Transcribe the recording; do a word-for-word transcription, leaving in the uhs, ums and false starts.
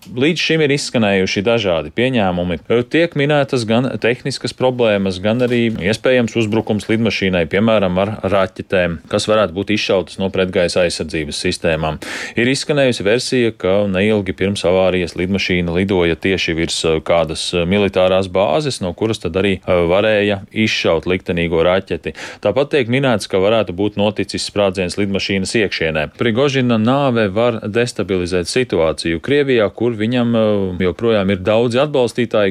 Līdz šim ir izskanējuši dažādi pieņēmumi. Tiek minētas gan tehniskas problēmas, gan arī iespējams uzbrukums lidmašīnai, piemēram, ar raķetēm, kas varētu būt izšautas no pretgaisa aizsardzības sistēmām. Ir izskanējusi versija, ka neilgi pirms avārijas lidmašīna lidoja tieši virs kādas militārās bāzes, no kuras tad arī varēja izšaut liktenīgo raķeti. Tāpat tiek minēts, ka varētu būt noticis sprādziens lidmašīnas iekšienē. Prigožina nāve var destabilizēt situāciju Krievijā, kur viņam joprojām ir daudzi atbalstītāji,